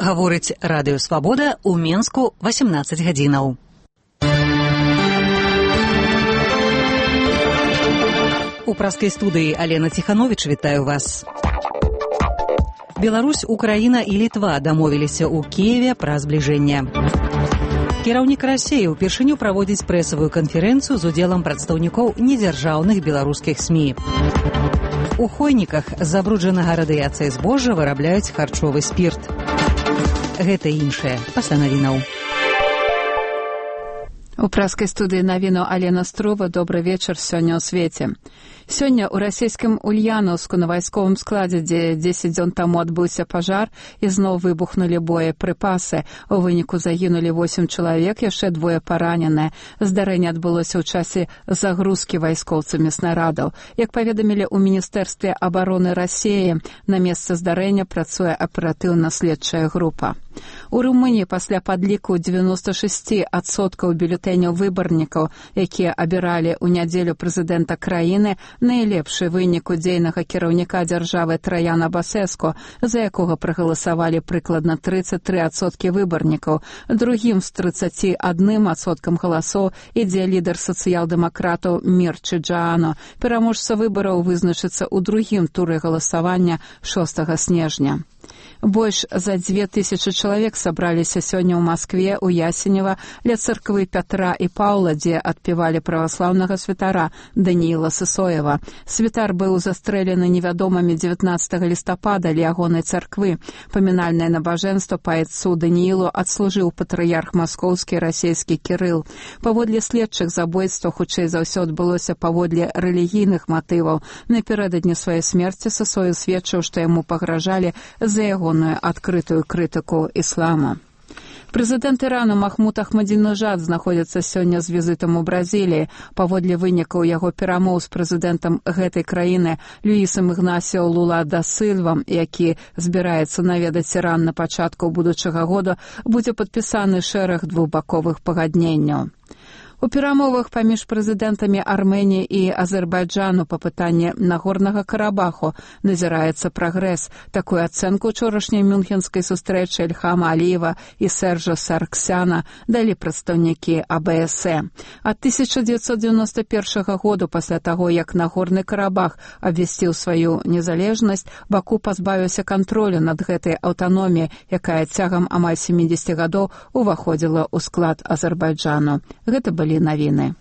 Гаворыць Радыё Свабода ў Менску 18 гадзінаў. У праскай студыі Алена Ціхановіч вітаю вас. Беларусь, Украіна і Літва дамовіліся ў Кіеве пра збліжэнне. Кіраўнік Расіі ўпершыню праводзіць прэсавую канферэнцыю з удзелам прадстаўнікоў недзяржаўных беларускіх СМІ. У Хойніках з забруджанага радыяцыяй збожжа вырабляюць харчовы спірт. Гэта і іншае пасля навінаў. У праскай студыі навіну Алена Струва. Добры вечар сёння ў свеце. Сёння ў расійскім Ульяновску на вайсковым складзе, дзе 10 дзён таму адбыўся пажар, ізноў выбухнулі боепрыпасы. У выніку загінулі 8 чалавек, яшчэ 2 параненыя. Здарэнне адбылося ў часе загрузкі вайскоўцамі снарадаў. Як паведамілі ў Міністэрстве абароны Расіі, на месцы здарэння працуе аператыўна-следчая група. У Румыніі пасля падліку 96% бюлетэняў выбарнікаў, якія абіралі ў нядзелю прэзідэнта краіны, найлепшы вынік у дзейнага кіраўніка дзяржавы Траяна Басэску, за якога прагаласавалі прыкладна 33% выбарнікаў. Другім з 31% галасоў ідзе лідар сацыял-дэмакратаў Мірчы Джаану. Пераможца выбараў вызначыцца ў другім туры галасавання 6 снежня. Больш за 2000 чалавек сабраліся сёння ў Маскве, у Ясенева, ля царквы Пятра і Паўла, дзе адпевалі праваслаўнага святара Данііла Сысоева. Святар быў застрэлены невядомымі 19 лістапада ля ягонай царквы. Памінальнае набажэнства па айцу Даніілу адслужыў патрыярх маскоўскі расійскі Кірыл. Паводле следчых, забойства хутчэй за ўсё адбылося паводле рэлігійных матываў. Напярэдадні сваёй смерці Сысоев сведчыў, што яму пагражалі за ягоную адкрытую крытыку іслама. Прэзідэнт Ірану Махмуд Ахмадзінежад знаходзіцца сёння з візітам у Бразіліі. Паводле вынікаў яго перамоў з прэзідэнтам гэтай краіны Люісам Ігнасіо Лула да Сільвам, які збіраецца наведаць Іран на пачатку будучага года, будзе падпісаны шэраг двухбаковых пагадненняў. У перамовах паміж прэзідэнтамі Арменіі і Азербайджану па пытанні Нагорнага Карабаху назіраецца прагрэс. Такую ацэнку учорашняй мюнхенскай сустрэчы Ільхама Аліева і Сержа Сарксяна далі прадстаўнікі АБСЭ. Ад 1991 году, пасля таго, як Нагорны Карабах абвясціў сваю незалежнасць, Баку пазбавіўся кантролю над гэтай аўтаноміяй, якая цягам амаль 70 гадоў уваходзіла ў склад Азербайджану. Гэта былі навіны.